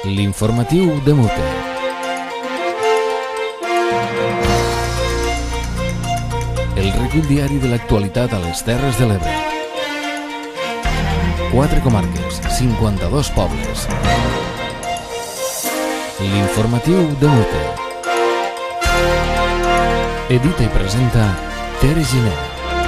L'informatiu de Mute. El recull diari de l'actualitat a les Terres de l'Ebre. 4 comarques, 52 pobles. L'informatiu de Mute. Edita i presenta Tere Giner.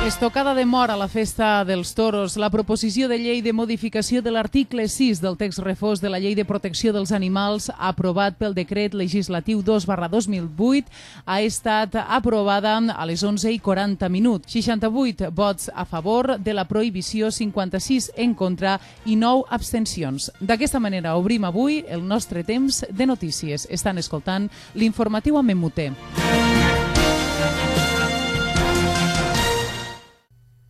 Estocada de mort a la festa dels toros. La proposició de llei de modificació de l'article 6 del text refós de la Llei de Protecció dels Animals, aprovat pel decret legislatiu 2/2008, ha estat aprovada a les 11:40. 68 vots a favor de la prohibició, 56 en contra i 9 abstencions. D'aquesta manera obrim avui el nostre temps de notícies. Estan escoltant l'informatiu amb Mute.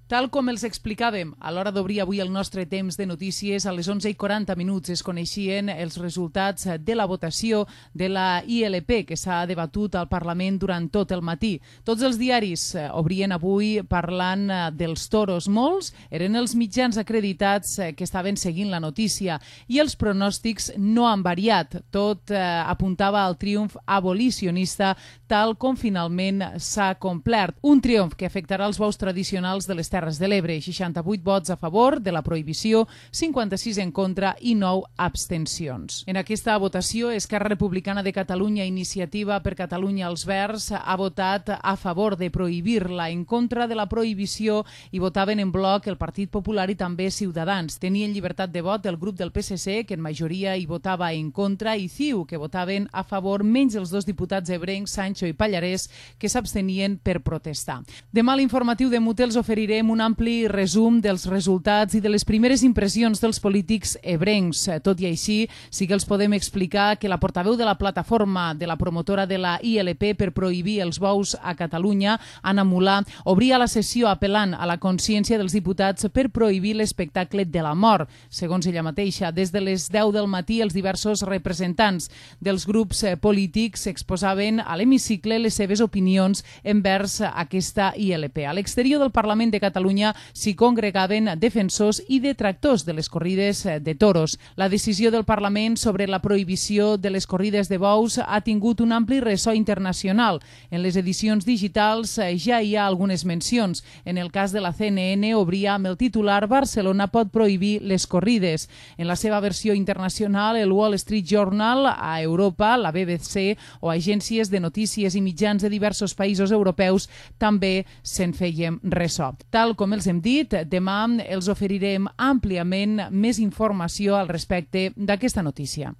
Tal com els explicàvem a l'hora d'obrir avui el nostre temps de notícies, a les 11:40 es coneixien els resultats de la votació de la ILP que s'ha debatut al Parlament durant tot el matí. Tots els diaris obrien avui parlant dels toros. Molts eren els mitjans acreditats que estaven seguint la notícia i els pronòstics no han variat. Tot apuntava al triomf abolicionista tal com finalment s'ha complert. Un triomf que afectarà els bous tradicionals de les Terres de l'Ebre. 68 vots a favor de la prohibició, 56 en contra i 9 abstencions. En aquesta votació, Esquerra Republicana de Catalunya, Iniciativa per Catalunya, els Verds, ha votat a favor de prohibir-la. En contra de la prohibició hi votaven en bloc el Partit Popular i també Ciutadans. Tenien llibertat de vot el grup del PSC, que en majoria hi votava en contra, i CiU, que votaven a favor, menys els dos diputats ebrencs, Sancho i Pallarès, que s'abstenien per protestar. Demà a l'informatiu de Mute els oferirem un ampli resum dels resultats i de les primeres impressions dels polítics ebrencs. Tot i així, sí que els podem explicar que la portaveu de la plataforma de la promotora de la ILP per prohibir els bous a Catalunya, Anna Mulà, obria la sessió apel·lant a la consciència dels diputats per prohibir l'espectacle de la mort. Segons ella mateixa, des de les 10 del matí els diversos representants dels grups polítics exposaven a l'hemicicle les seves opinions envers aquesta ILP. A l'exterior del Parlament de Catalunya s'hi congregaven defensors i detractors de les corrides de toros. La decisió del Parlament sobre la prohibició de les corrides de bous ha tingut un ampli ressò internacional. En les edicions digitals ja hi ha algunes mencions. En el cas de la CNN obria amb el titular «Barcelona pot prohibir les corrides». En la seva versió internacional, el Wall Street Journal, a Europa, la BBC o agències de notícies i mitjans de diversos països europeus també se'n feien ressò. Tal com els hem dit, demà els oferirem àmpliament més informació al respecte d'aquesta notícia.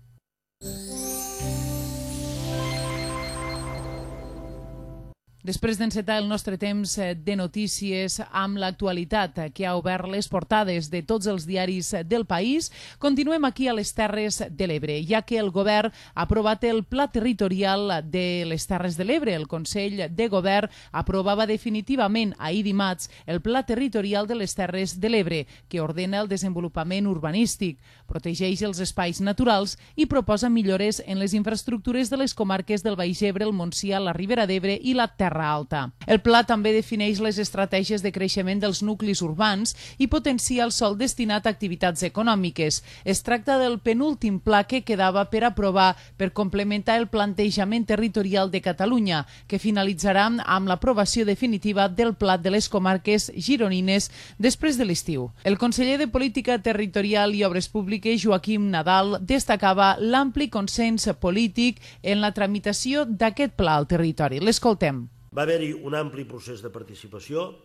Després d'encetar el nostre temps de notícies amb l'actualitat que ha obert les portades de tots els diaris del país, continuem aquí a les Terres de l'Ebre, ja que el govern ha aprovat el Pla Territorial de les Terres de l'Ebre. El Consell de Govern aprovava definitivament ahir dimarts el Pla Territorial de les Terres de l'Ebre, que ordena el desenvolupament urbanístic, protegeix els espais naturals i proposa millores en les infraestructures de les comarques del Baix Ebre, el Montsià, la Ribera d'Ebre i la Terra Alta. El pla també defineix les estratègies de creixement dels nuclis urbans i potencia el sòl destinat a activitats econòmiques. Es tracta del penúltim pla que quedava per aprovar per complementar el plantejament territorial de Catalunya, que finalitzarà amb l'aprovació definitiva del pla de les comarques gironines després de l'estiu. El conseller de Política Territorial i Obres Públiques, Joaquim Nadal, destacava l'ampli consens polític en la tramitació d'aquest pla al territori. L'escoltem. Va haver-hi un ampli procés de participació,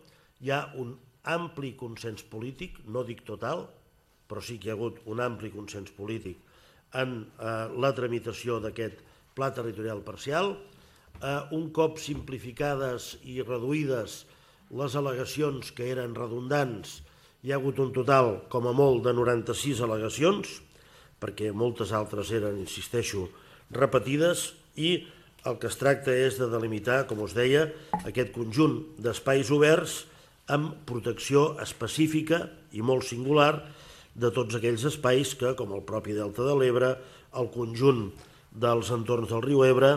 hi ha un ampli consens polític, no dic total, però sí que hi ha hagut un ampli consens polític en la tramitació d'aquest pla territorial parcial. Un cop simplificades i reduïdes les al·legacions que eren redundants, hi ha hagut un total, com a molt, de 96 al·legacions, perquè moltes altres eren, insisteixo, repetides, i el que es tracta és de delimitar, com us deia, aquest conjunt d'espais oberts amb protecció específica i molt singular de tots aquells espais que, com el propi Delta de l'Ebre, el conjunt dels entorns del riu Ebre,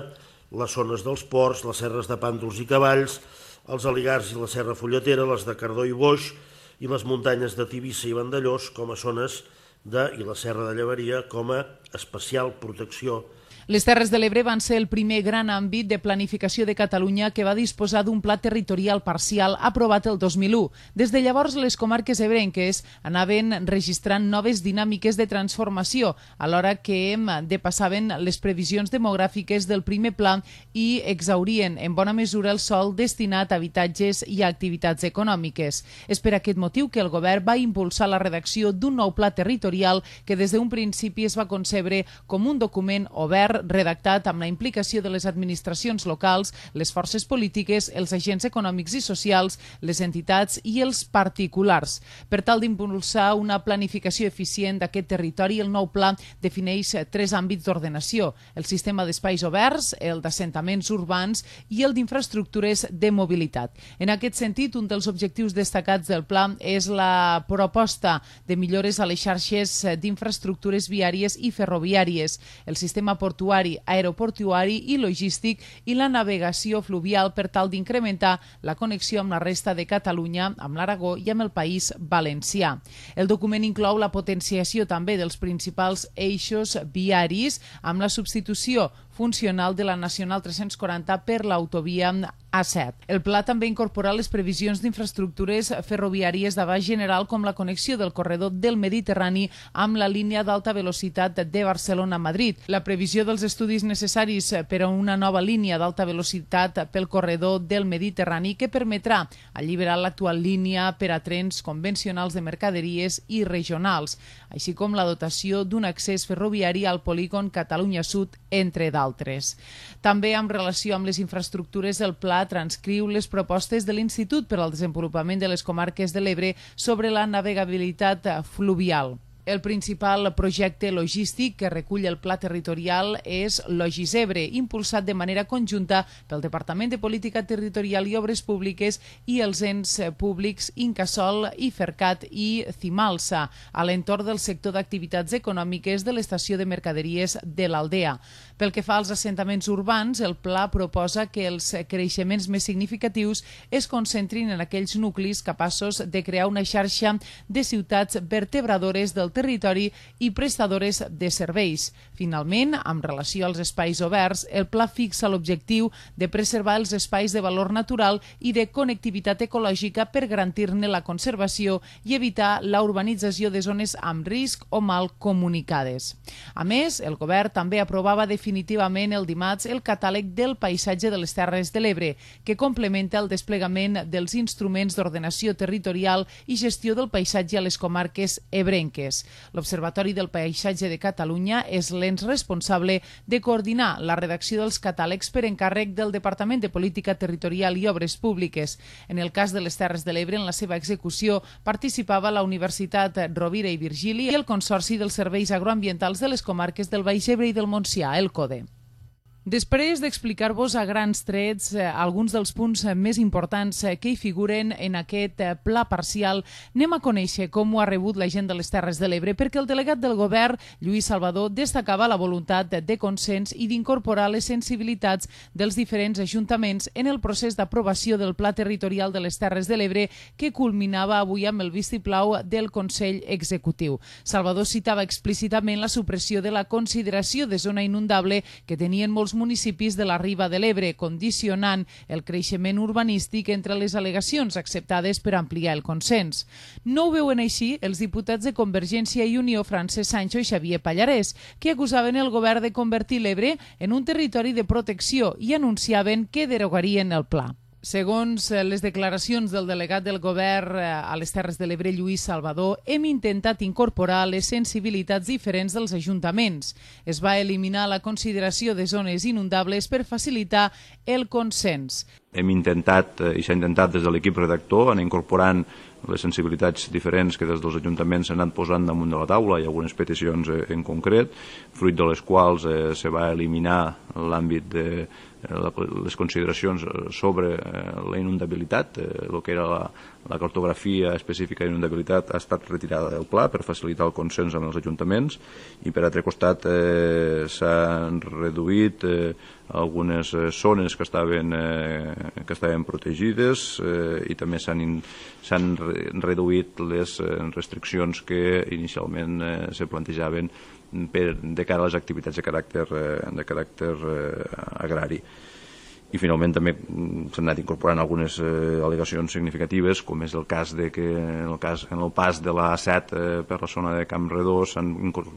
les zones dels ports, les serres de Pàndols i Cavalls, els Aligars i la Serra Folletera, les de Cardó i Boix i les muntanyes de Tivissa i Vandellós com a zones i la Serra de Llevaria com a especial protecció. Les Terres de l'Ebre van ser el primer gran àmbit de planificació de Catalunya que va disposar d'un pla territorial parcial aprovat el 2001. Des de llavors, les comarques ebrenques anaven registrant noves dinàmiques de transformació, alhora que depassaven les previsions demogràfiques del primer pla i exhaurien en bona mesura el sòl destinat a habitatges i a activitats econòmiques. És per aquest motiu que el govern va impulsar la redacció d'un nou pla territorial que des d'un principi es va concebre com un document obert redactat amb la implicació de les administracions locals, les forces polítiques, els agents econòmics i socials, les entitats i els particulars. Per tal d'impulsar una planificació eficient d'aquest territori, el nou pla defineix 3 àmbits d'ordenació: el sistema d'espais oberts, el d'assentaments urbans i el d'infraestructures de mobilitat. En aquest sentit, un dels objectius destacats del pla és la proposta de millores a les xarxes d'infraestructures viàries i ferroviàries, el sistema portuari, aeroportuari i logístic i la navegació fluvial per tal d'incrementar la connexió amb la resta de Catalunya, amb l'Aragó i amb el País Valencià. El document inclou la potenciació també dels principals eixos viaris amb la substitució funcional de la Nacional 340 per l'autovia A7. El pla també incorpora les previsions d'infraestructures ferroviàries d'abast general com la connexió del corredor del Mediterrani amb la línia d'alta velocitat de Barcelona a Madrid, la previsió dels estudis necessaris per a una nova línia d'alta velocitat pel corredor del Mediterrani que permetrà alliberar l'actual línia per a trens convencionals de mercaderies i regionals, així com la dotació d'un accés ferroviari al polígon Catalunya Sud, entre d'altres. També en relació amb les infraestructures, el pla transcriu les propostes de l'Institut per al Desenvolupament de les Comarques de l'Ebre sobre la navegabilitat fluvial. El principal projecte logístic que recull el pla territorial és Logisebre, impulsat de manera conjunta pel Departament de Política Territorial i Obres Públiques i els ens públics Incasòl, Ifercat i Cimalsa, a l'entorn del sector d'activitats econòmiques de l'estació de mercaderies de l'Aldea. Pel que fa als assentaments urbans, el pla proposa que els creixements més significatius es concentrin en aquells nuclis capaços de crear una xarxa de ciutats vertebradores del territori i prestadores de serveis. Finalment, amb relació als espais oberts, el pla fixa l'objectiu de preservar els espais de valor natural i de connectivitat ecològica per garantir-ne la conservació i evitar la urbanització de zones amb risc o mal comunicades. A més, el govern també aprovava definitivament el dimarts el catàleg del paisatge de les Terres de l'Ebre, que complementa el desplegament dels instruments d'ordenació territorial i gestió del paisatge a les comarques ebrenques. L'Observatori del Paisatge de Catalunya és l'ens responsable de coordinar la redacció dels catàlegs per encàrrec del Departament de Política Territorial i Obres Públiques. En el cas de les Terres de l'Ebre, en la seva execució participava la Universitat Rovira i Virgili i el Consorci dels Serveis Agroambientals de les comarques del Baix Ebre i del Montsià, el CODE. Després d'explicar-vos a grans trets alguns dels punts més importants que hi figuren en aquest pla parcial, anem a conèixer com ho ha rebut la gent de les Terres de l'Ebre, perquè el delegat del govern, Lluís Salvador, destacava la voluntat de consens i d'incorporar les sensibilitats dels diferents ajuntaments en el procés d'aprovació del Pla Territorial de les Terres de l'Ebre que culminava avui amb el vistiplau del Consell Executiu. Salvador citava explícitament la supressió de la consideració de zona inundable que tenien molts municipis de la Riba de l'Ebre, condicionant el creixement urbanístic entre les al·legacions acceptades per ampliar el consens. No ho veuen així els diputats de Convergència i Unió, Francesc Sancho i Xavier Pallarès, que acusaven el govern de convertir l'Ebre en un territori de protecció i anunciaven que derogarien el pla. Segons les declaracions del delegat del govern a les Terres de l'Ebre, Lluís Salvador, hem intentat incorporar les sensibilitats diferents dels ajuntaments. Es va eliminar la consideració de zones inundables per facilitar el consens. Hem intentat, i s'ha intentat des de l'equip redactor, anar incorporant les sensibilitats diferents que des dels ajuntaments s'han anat posant damunt de la taula. Hi ha algunes peticions en concret, fruit de les quals se va eliminar l'àmbit les consideracions sobre la inundabilitat, el que era la cartografia específica d'inundabilitat ha estat retirada del pla per facilitar el consens amb els ajuntaments, i per altre costat s'han reduït algunes zones que estaven protegides, i també s'han reduït les restriccions que inicialment se plantejaven de cara a les activitats de caràcter agrari. I finalment també s'han anat incorporant algunes al·legacions significatives, com és el cas de que en el pas de la A7 per la zona de Campredó s'han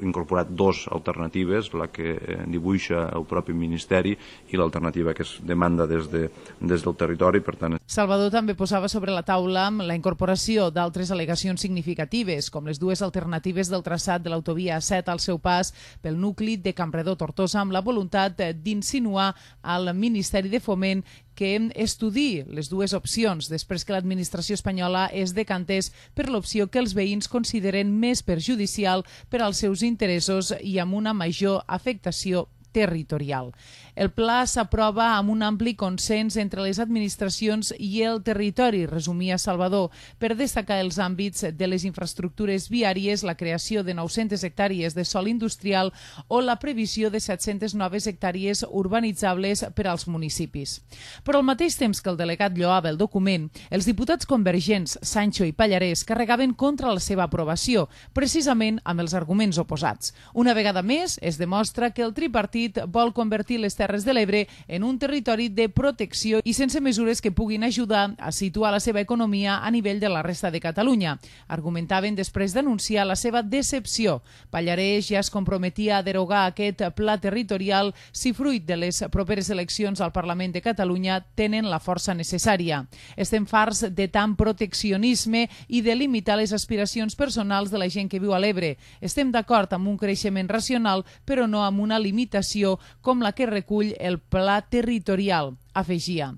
incorporat dues alternatives, la que dibuixa el propi Ministeri i l'alternativa que es demanda des del territori. Per tant, Salvador també posava sobre la taula la incorporació d'altres al·legacions significatives, com les dues alternatives del traçat de l'autovia A7 al seu pas pel nucli de Campredó-Tortosa, amb la voluntat d'insinuar al Ministeri de Foment que estudiï les dues opcions després que l'administració espanyola es decantés per l'opció que els veïns consideren més perjudicial per als seus interessos i amb una major afectació territorial. El pla s'aprova amb un ampli consens entre les administracions i el territori, resumia Salvador, per destacar els àmbits de les infraestructures viàries, la creació de 900 hectàrees de sòl industrial o la previsió de 700 noves hectàrees urbanitzables per als municipis. Però al mateix temps que el delegat lloava el document, els diputats convergents Sancho i Pallarès carregaven contra la seva aprovació, precisament amb els arguments oposats. Una vegada més, es demostra que el tripartit vol convertir les Terres de l'Ebre en un territori de protecció i sense mesures que puguin ajudar a situar la seva economia a nivell de la resta de Catalunya. Argumentaven després d'anunciar la seva decepció. Pallarès ja es comprometia a derogar aquest pla territorial si fruit de les properes eleccions al Parlament de Catalunya tenen la força necessària. Estem farts de tant proteccionisme i de limitar les aspiracions personals de la gent que viu a l'Ebre. Estem d'acord amb un creixement racional, però no amb una limitació com la que recull el pla territorial, afegia.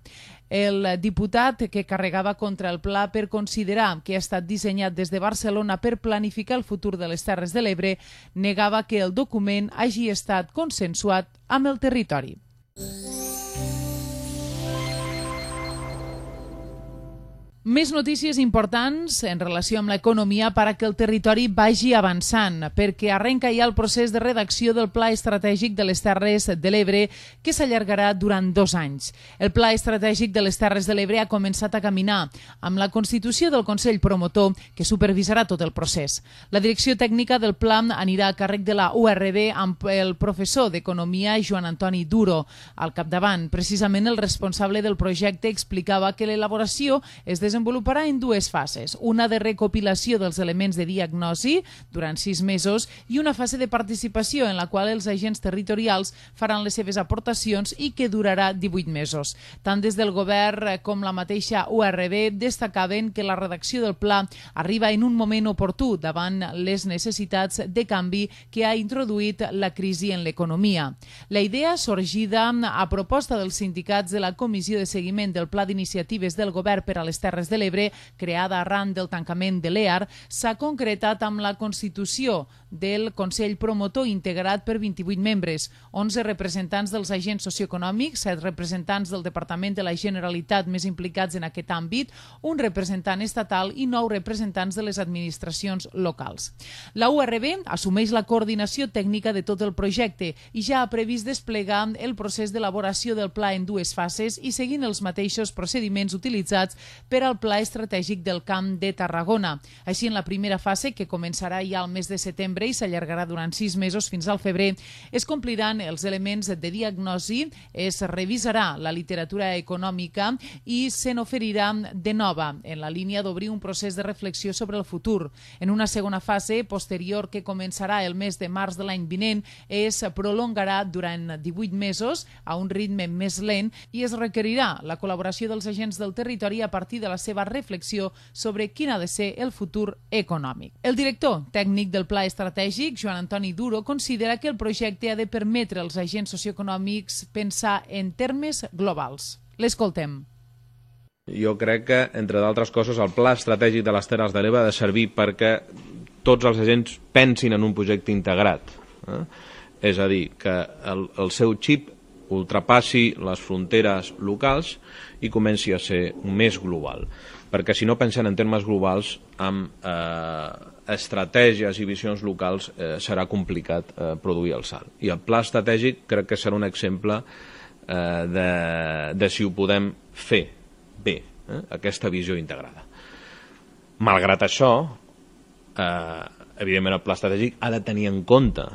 El diputat que carregava contra el pla per considerar que ha estat dissenyat des de Barcelona per planificar el futur de les Terres de l'Ebre negava que el document hagi estat consensuat amb el territori. Més notícies importants en relació amb l'economia per a que el territori vagi avançant, perquè arrenca ja el procés de redacció del Pla Estratègic de les Terres de l'Ebre, que s'allargarà durant 2 anys. El Pla Estratègic de les Terres de l'Ebre ha començat a caminar amb la constitució del Consell Promotor, que supervisarà tot el procés. La direcció tècnica del pla anirà a càrrec de la URB amb el professor d'Economia Joan Antoni Duro al capdavant. Precisament el responsable del projecte explicava que l'elaboració es desenvoluparà en 2 fases, una de recopilació dels elements de diagnosi durant 6 mesos i una fase de participació en la qual els agents territorials faran les seves aportacions i que durarà 18 mesos. Tant des del govern com la mateixa URB destacaven que la redacció del pla arriba en un moment oportú davant les necessitats de canvi que ha introduït la crisi en l'economia. La idea, sorgida a proposta dels sindicats de la Comissió de Seguiment del Pla d'Iniciatives del Govern per a les Terres de l'Ebre, creada arran del tancament de l'EAR, s'ha concretat amb la constitució del Consell Promotor integrat per 28 membres, 11 representants dels agents socioeconòmics, 7 representants del Departament de la Generalitat més implicats en aquest àmbit, un representant estatal i 9 representants de les administracions locals. La URB assumeix la coordinació tècnica de tot el projecte i ja ha previst desplegar el procés d'elaboració del pla en 2 fases i seguint els mateixos procediments utilitzats per al Pla Estratègic del Camp de Tarragona. Així, en la primera fase, que començarà ja al mes de setembre i s'allargarà durant 6 mesos fins al febrer, es compliran els elements de diagnosi, es revisarà la literatura econòmica i se n'oferirà de nova, en la línia d'obrir un procés de reflexió sobre el futur. En una segona fase, posterior, que començarà el mes de març de l'any vinent, es prolongarà durant 18 mesos a un ritme més lent i es requerirà la col·laboració dels agents del territori a partir de la seva reflexió sobre quin ha de ser el futur econòmic. El director tècnic del Pla Estratègic, Joan Antoni Duro, considera que el projecte ha de permetre als agents socioeconòmics pensar en termes globals. L'escoltem. Jo crec que, entre d'altres coses, el Pla Estratègic de les Terres de l'Ebre ha de servir perquè tots els agents pensin en un projecte integrat. És a dir, que el seu xip ultrapassi les fronteres locals i comenci a ser més global. Perquè si no pensen en termes globals, amb estratègies i visions locals serà complicat produir el salt. I el pla estratègic crec que serà un exemple de si ho podem fer bé, aquesta visió integrada. Malgrat això, evidentment el pla estratègic ha de tenir en compte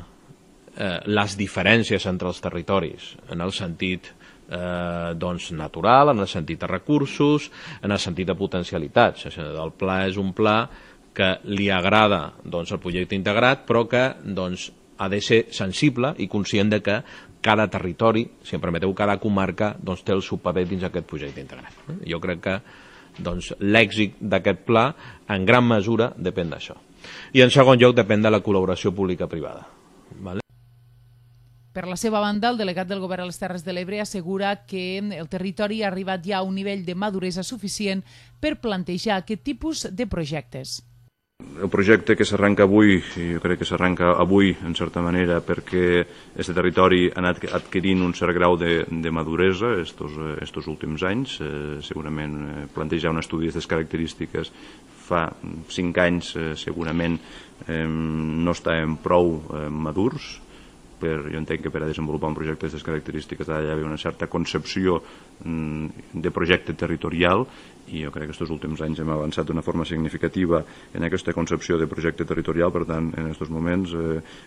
les diferències entre els territoris, en el sentit natural, en el sentit de recursos, en el sentit de potencialitats. El pla és un pla que li agrada el projecte integrat, però que ha de ser sensible i conscient de que cada territori, si em permeteu, cada comarca té el seu paper dins aquest projecte integrat. Jo crec que l'èxit d'aquest pla en gran mesura depèn d'això. I en segon lloc depèn de la col·laboració pública-privada. Per la seva banda, el delegat del Govern a les Terres de l'Ebre assegura que el territori ha arribat ja a un nivell de maduresa suficient per plantejar aquest tipus de projectes. El projecte que s'arranca avui, jo crec que s'arranca avui, en certa manera, perquè aquest territori ha anat adquirint un cert grau de maduresa estos últims anys. Segurament plantejar un estudi d'aquestes característiques fa 5 anys segurament no estàvem prou madurs. Jo entenc que per a desenvolupar un projecte d'aquestes característiques ha d'haver una certa concepció de projecte territorial i jo crec que aquests últims anys hem avançat d'una forma significativa en aquesta concepció de projecte territorial. Per tant, en aquests moments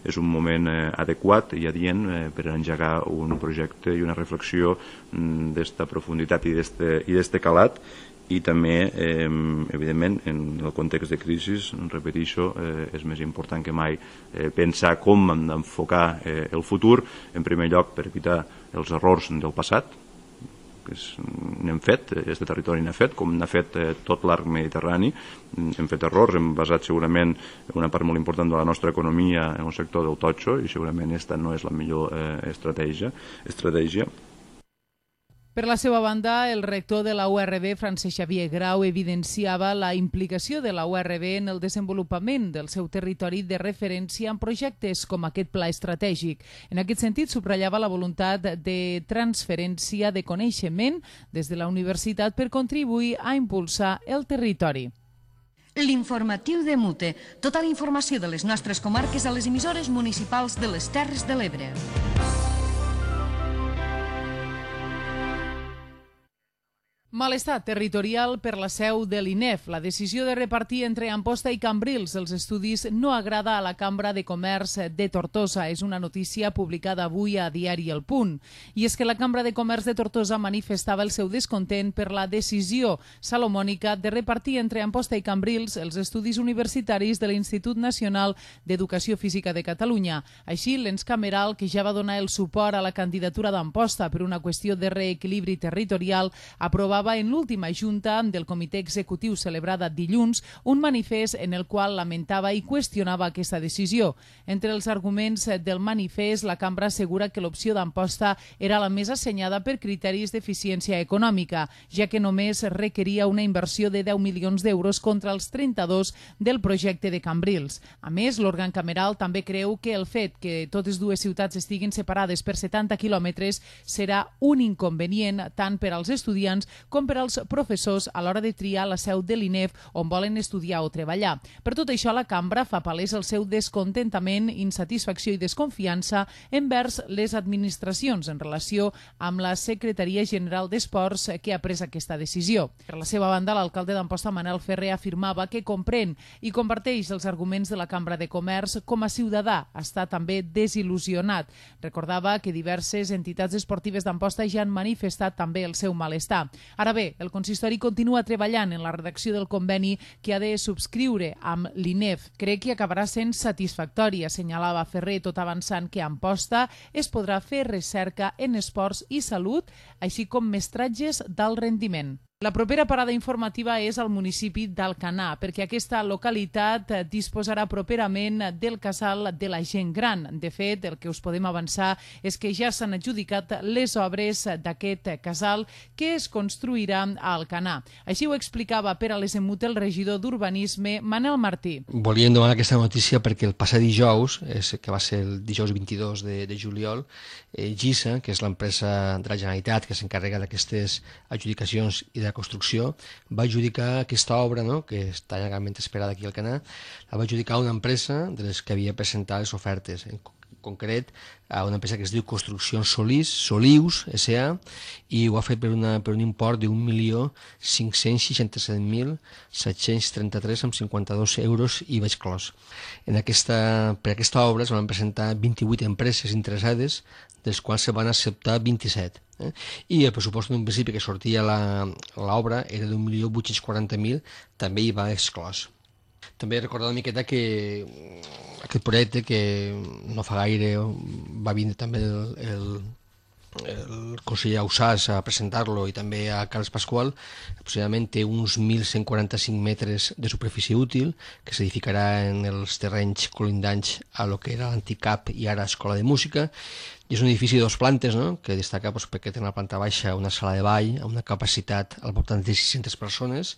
és un moment adequat i adient per engegar un projecte i una reflexió d'esta profunditat i d'este calat. I també, evidentment, en el context de crisi, repeteixo, és més important que mai pensar com hem d'enfocar el futur, en primer lloc per evitar els errors del passat, que n'hem fet, aquest territori n'ha fet, com n'ha fet tot l'arc mediterrani. Hem fet errors, hem basat segurament una part molt important de la nostra economia en el sector del totxo i segurament aquesta no és la millor estratègia. Per la seva banda, el rector de la URB, Francesc Xavier Grau, evidenciava la implicació de la URB en el desenvolupament del seu territori de referència en projectes com aquest pla estratègic. En aquest sentit, subratllava la voluntat de transferència de coneixement des de la universitat per contribuir a impulsar el territori. L'informatiu de Mute. Tota la informació de les nostres comarques a les emissores municipals de les Terres de l'Ebre. Malestar territorial per la seu de l'INEF. La decisió de repartir entre Amposta i Cambrils els estudis no agrada a la Cambra de Comerç de Tortosa. És una notícia publicada avui a Diari El Punt. I és que la Cambra de Comerç de Tortosa manifestava el seu descontent per la decisió salomònica de repartir entre Amposta i Cambrils els estudis universitaris de l'Institut Nacional d'Educació Física de Catalunya. Així, l'ens cameral, que ja va donar el suport a la candidatura d'Amposta per una qüestió de reequilibri territorial, aprovava en l'última junta del comitè executiu celebrada dilluns un manifest en el qual lamentava i qüestionava aquesta decisió. Entre els arguments del manifest, la cambra assegura que l'opció d'Amposta era la més assenyada per criteris d'eficiència econòmica, ja que només requeria una inversió de 10 milions d'euros contra els 32 del projecte de Cambrils. A més, l'òrgan cameral també creu que el fet que totes dues ciutats estiguin separades per 70 quilòmetres serà un inconvenient tant per als estudiants com per als professors a l'hora de triar la seu de l'INEF on volen estudiar o treballar. Per tot això, la cambra fa palès el seu descontentament, insatisfacció i desconfiança envers les administracions en relació amb la Secretaria General d'Esports que ha pres aquesta decisió. Per la seva banda, l'alcalde d'Amposta, Manel Ferrer, afirmava que comprèn i comparteix els arguments de la Cambra de Comerç. Com a ciutadà està també desil·lusionat. Recordava que diverses entitats esportives d'Amposta ja han manifestat també el seu malestar. Ara bé, el consistori continua treballant en la redacció del conveni que ha de subscriure amb l'INEF. Crec que acabarà sent satisfactori, assenyalava Ferrer, tot avançant que a Amposta es podrà fer recerca en esports i salut, així com mestratges d'alt rendiment. La propera parada informativa és al municipi d'Alcanar, perquè aquesta localitat disposarà properament del casal de la gent gran. De fet, el que us podem avançar és que ja s'han adjudicat les obres d'aquest casal que es construirà a Alcanar. Així ho explicava per a les Emute el regidor d'Urbanisme, Manel Martí. Volíem donar aquesta notícia perquè el passat dijous, que va ser el dijous 22 de juliol, GISA, que és l'empresa de la Generalitat que s'encarrega d'aquestes adjudicacions i de la construcció, va adjudicar aquesta obra, no?, que està llargament esperada aquí al Alcanar, la va adjudicar a una empresa de les que havia presentat les ofertes, en concret a una empresa que es diu Construccions Solius S.A. i ho ha fet per un import de 1.567.733,52 euros i vaig clos. Per aquesta obra es van presentar 28 empreses interessades, dels quals se van acceptar 27. I el pressupost d'un principi que sortia l'obra era d'1.840.000, també hi va exclòs. També recordar una miqueta que aquest projecte, que no fa gaire va vindre també el conseller Ausàs a presentar-lo i també a Carles Pasqual, aproximadament té uns 1.145 metres de superfície útil que s'edificarà en els terrenys colindants a lo que era l'antic CAP i ara Escola de Música. I és un edifici de 2 plantes, no?, que destaca perquè té una planta baixa, una sala de ball amb una capacitat al voltant de 600 persones,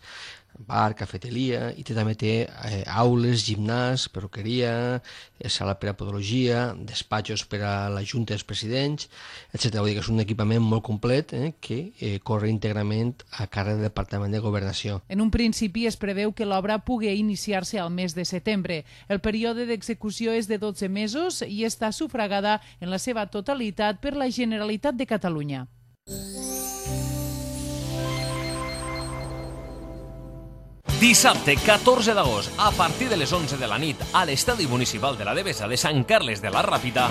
bar, cafeteria, i també té aules, gimnàs, perruqueria, sala per a podologia, despatxos per a la Junta dels Presidents, etc. Vull dir que és un equipament molt complet que corre íntegrament a càrrec del Departament de Governació. En un principi es preveu que l'obra pugui iniciar-se al mes de setembre. El període d'execució és de 12 mesos i està sufragada en la seva totalitat per la Generalitat de Catalunya. Dissabte 14 d'agost, a partir de les 11 de la nit, a l'Estadi Municipal de la Devesa de Sant Carles de la Ràpita.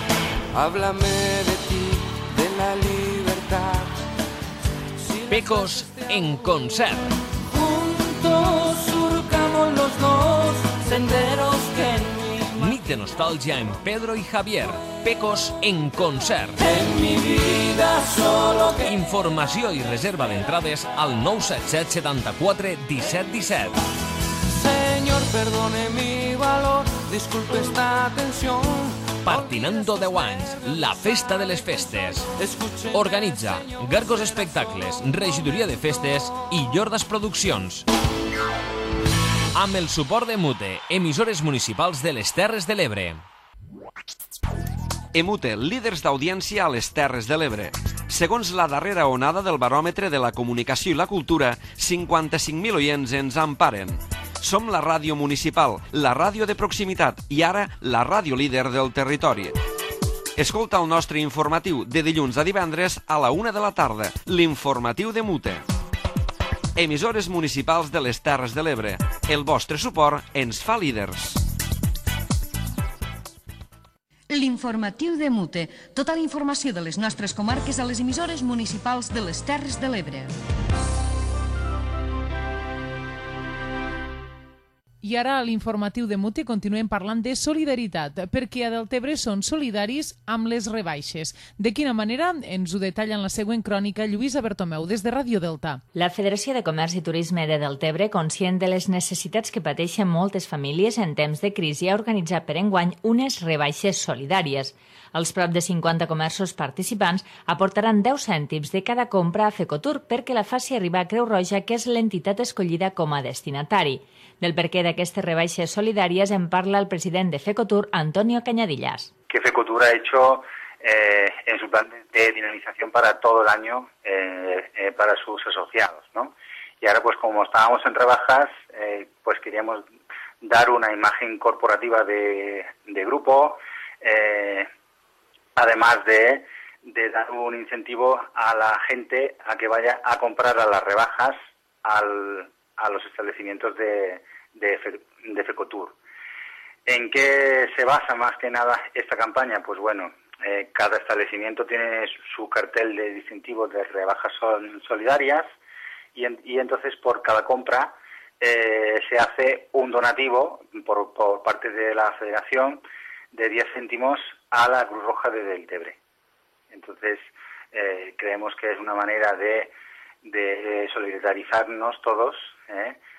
Háblame de ti, de la libertad. Pecos en concert. Juntos surcamos los dos senderos que en Nit de nostàlgia en Pedro i Javier. Pecos en concert. mi vida solo que... Informació i reserva d'entrades al 977 74 17 17. Señor, perdone mi valor, disculpe esta tensión. Partinando 10 anys, la festa de les festes. Organitza Gargos Espectacles, Regidoria de Festes i Llordas Produccions. Amb el suport de Emute, emissores municipals de les Terres de l'Ebre. Emute, líders d'audiència a les Terres de l'Ebre. Segons la darrera onada del baròmetre de la comunicació i la cultura, 55.000 oients ens emparen. Som la ràdio municipal, la ràdio de proximitat i ara la ràdio líder del territori. Escolta el nostre informatiu de dilluns a divendres a la 1 de la tarda, l'informatiu d'Emute. Emissores municipals de les Terres de l'Ebre. El vostre suport ens fa líders. L'informatiu d'Emute. Tota la informació de les nostres comarques a les emissores municipals de les Terres de l'Ebre. I ara a l'informatiu de Mute continuem parlant de solidaritat, perquè a Deltebre són solidaris amb les rebaixes. De quina manera? Ens ho detalla en la següent crònica Lluïsa Bertomeu, des de Ràdio Delta. La Federació de Comerç i Turisme de Deltebre, conscient de les necessitats que pateixen moltes famílies en temps de crisi, ha organitzat per enguany unes rebaixes solidàries. Els prop de 50 comerços participants aportaran 10 cèntims de cada compra a Fecotur perquè la faci arribar a Creu Roja, que és l'entitat escollida com a destinatari. Del perquè d'aquestes rebaixes solidàries en parla el president de Fecotur, Antonio Cañadillas. Que Fecotur ha hecho en su plan de dinamización para todo el año para sus asociados, ¿no? Y ahora, pues como estábamos en rebajas, pues queríamos dar una imagen corporativa de grupo, además de dar un incentivo a la gente a que vaya a comprar a las rebajas a los establecimientos de Fecotur. ¿En qué se basa más que nada esta campaña? Pues bueno, cada establecimiento tiene su cartel de distintivos de rebajas solidarias y entonces por cada compra se hace un donativo por parte de la Federación de 10 céntimos a la Cruz Roja de Deltebre. Entonces creemos que es una manera de de solidarizarnos todos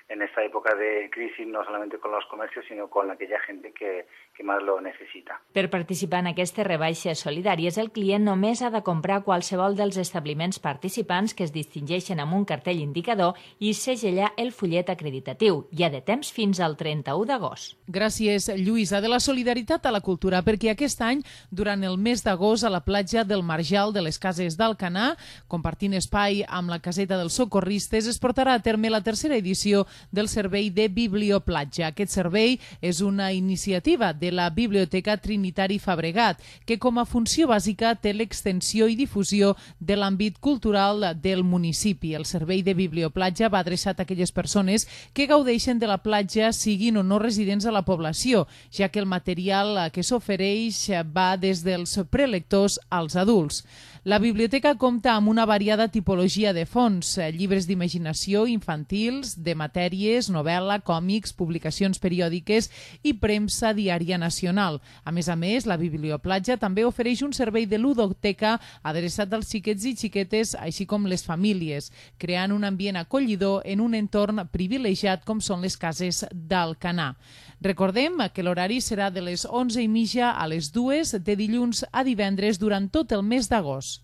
en esta época de crisis, no solamente con los comercios, sino con aquella gente que más lo necessita. Per participar en aquestes rebaixes solidàries, el client només ha de comprar qualsevol dels establiments participants que es distingeixen amb un cartell indicador i segellar el fullet acreditatiu. Hi ha de temps fins al 31 d'agost. Gràcies, Lluïsa. De la solidaritat a la cultura, perquè aquest any, durant el mes d'agost, a la platja del Marjal de les Cases d'Alcanar, compartint espai amb la caseta dels socorristes, es portarà a terme la tercera edició del servei de Biblioplatja. Aquest servei és una iniciativa de la Biblioteca Trinitari Fabregat, que com a funció bàsica té l'extensió i difusió de l'àmbit cultural del municipi. El servei de Biblioplatja va adreçat a aquelles persones que gaudeixen de la platja, siguin o no residents a la població, ja que el material que s'ofereix va des dels prelectors als adults. La biblioteca compta amb una variada tipologia de fonts, llibres d'imaginació infantils, de matèries, novel·la, còmics, publicacions periòdiques i premsa diària nacional. A més, la Biblioplatja també ofereix un servei de ludoteca adreçat als xiquets i xiquetes, així com les famílies, creant un ambient acollidor en un entorn privilegiat com són les cases d'Alcanar. Recordem que l'horari serà de les 11:30 a les 2 de dilluns a divendres durant tot el mes d'agost.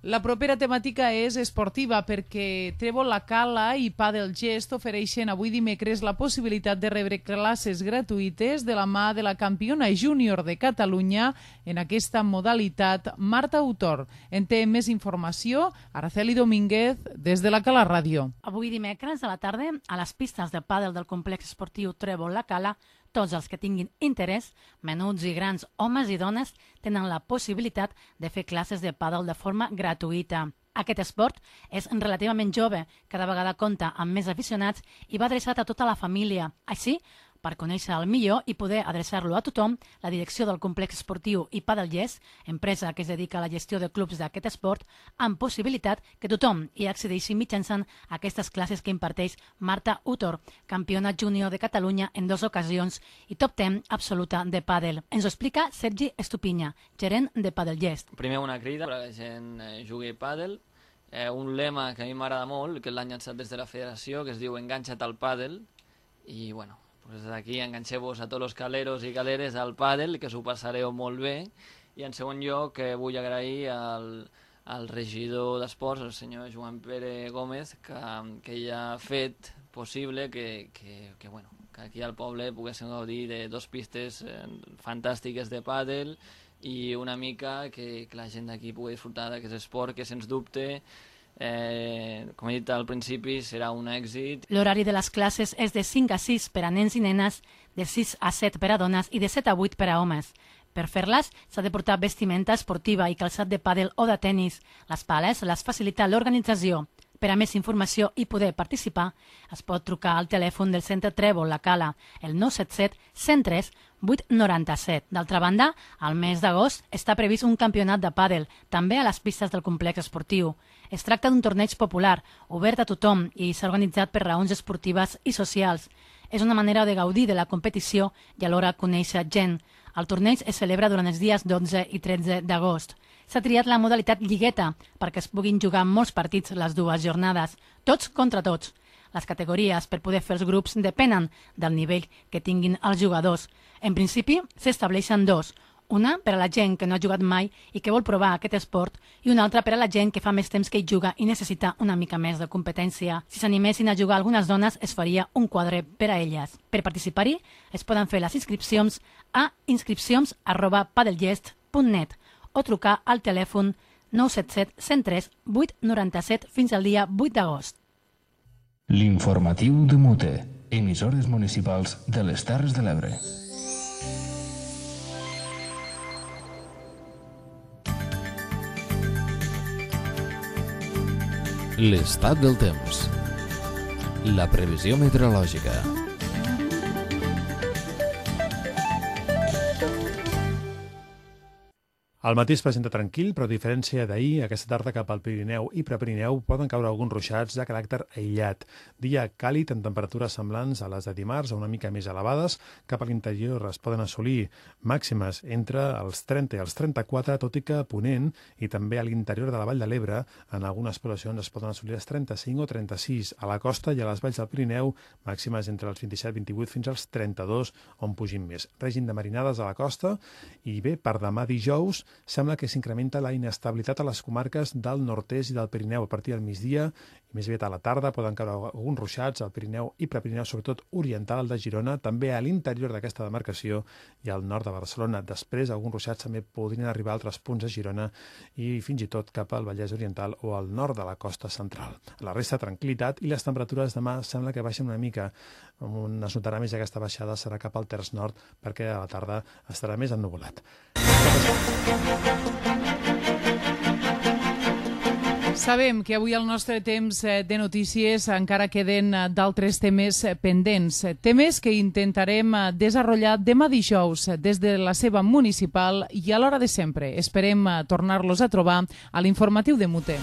La propera temàtica és esportiva perquè Trèvol La Cala i Padel Gest ofereixen avui dimecres la possibilitat de rebre classes gratuïtes de la mà de la campiona júnior de Catalunya en aquesta modalitat, Marta Autor. En té més informació Araceli Domínguez des de La Cala Ràdio. Avui dimecres a la tarda, a les pistes de pàdel del complex esportiu Trèvol La Cala, tots els que tinguin interès, menuts i grans, homes i dones, tenen la possibilitat de fer classes de pàdel de forma gratuïta. Aquest esport és relativament jove, cada vegada compta amb més aficionats i va adreçat a tota la família. Així, per conèixer-el millor i poder adreçar-lo a tothom, la direcció del complex esportiu i Padel Gest, empresa que es dedica a la gestió de clubs d'aquest esport, amb possibilitat que tothom hi accedeixi mitjançant aquestes classes que imparteix Marta Autor, campiona júnior de Catalunya en 2 ocasions i top 10 absoluta de pàdel. Ens ho explica Sergi Estupinya, gerent de Padel Gest. Primer una crida perquè la gent jugui pàdel, un lema que a mi m'agrada molt, que l'han llançat des de la federació, que es diu Enganxa't al pàdel, i bueno, pues d'aquí enganxeu-vos a tots els caleros i caleres al pàdel, que s'ho passareu molt bé. I en segon lloc vull agrair al regidor d'Esports, el senyor Joan Pere Gómez, que ja ha fet possible que aquí al poble poguéssim gaudir de 2 pistes fantàstiques de pàdel i una mica que la gent d'aquí pugui disfrutar d'aquest esport que, sens dubte, com he dit al principi, serà un èxit. L'horari de les classes és de 5 a 6 per a nens i nenes, de 6 a 7 per a dones i de 7 a 8 per a homes. Per fer-les s'ha de portar vestimenta esportiva i calçat de pàdel o de tennis. Les pales les facilita l'organització. Per a més informació i poder participar, es pot trucar al telèfon del Centre Trèvol La Cala, el 977 103 897. D'altra banda, al mes d'agost està previst un campionat de pàdel, també a les pistes del complex esportiu. Es tracta d'un torneig popular, obert a tothom i s'ha organitzat per raons esportives i socials. És una manera de gaudir de la competició i alhora conèixer gent. El torneig es celebra durant els dies 12 i 13 d'agost. S'ha triat la modalitat lligueta perquè es puguin jugar molts partits les 2 jornades, tots contra tots. Les categories per poder fer els grups depenen del nivell que tinguin els jugadors. En principi, s'estableixen 2. Una per a la gent que no ha jugat mai i que vol provar aquest esport i una altra per a la gent que fa més temps que hi juga i necessita una mica més de competència. Si s'animessin a jugar algunes dones, es faria un quadre per a elles. Per participar-hi, es poden fer les inscripcions a inscripcions@padelgest.net o trucar al telèfon 977 103 897 fins al dia 8 d'agost. L'informatiu de Mute, emissores municipals de les Terres de l'Ebre. L'estat del temps. La previsió meteorològica. El matí es presenta tranquil, però a diferència d'ahir, aquesta tarda cap al Pirineu i Prepirineu poden caure alguns ruixats de caràcter aïllat. Dia càlid amb temperatures semblants a les de dimarts, o una mica més elevades. Cap a l'interior es poden assolir màximes entre els 30 i els 34, tot i que a Ponent i també a l'interior de la Vall de l'Ebre, en algunes poblacions es poden assolir els 35 o 36. A la costa i a les valls del Pirineu, màximes entre els 27-28 fins als 32, on pugin més. Règim de marinades a la costa i bé, per demà dijous, sembla que s'incrementa la inestabilitat a les comarques del nord-est i del Pirineu a partir del migdia i més aviat a la tarda poden caure alguns ruixats al Pirineu i Prepirineu, sobretot oriental de Girona, també a l'interior d'aquesta demarcació i al nord de Barcelona. Després, alguns ruixats també podrien arribar a altres punts de Girona i fins i tot cap al Vallès Oriental o al nord de la costa central. La resta, tranquil·litat, i les temperatures demà sembla que baixen una mica. On es notarà més aquesta baixada serà cap al terç nord, perquè a la tarda estarà més ennuvolat. Sabem que avui al nostre temps de notícies encara queden d'altres temes pendents, temes que intentarem desenvolupar demà dijous des de la seva municipal i a l'hora de sempre. Esperem tornar-los a trobar a l'informatiu de Mute.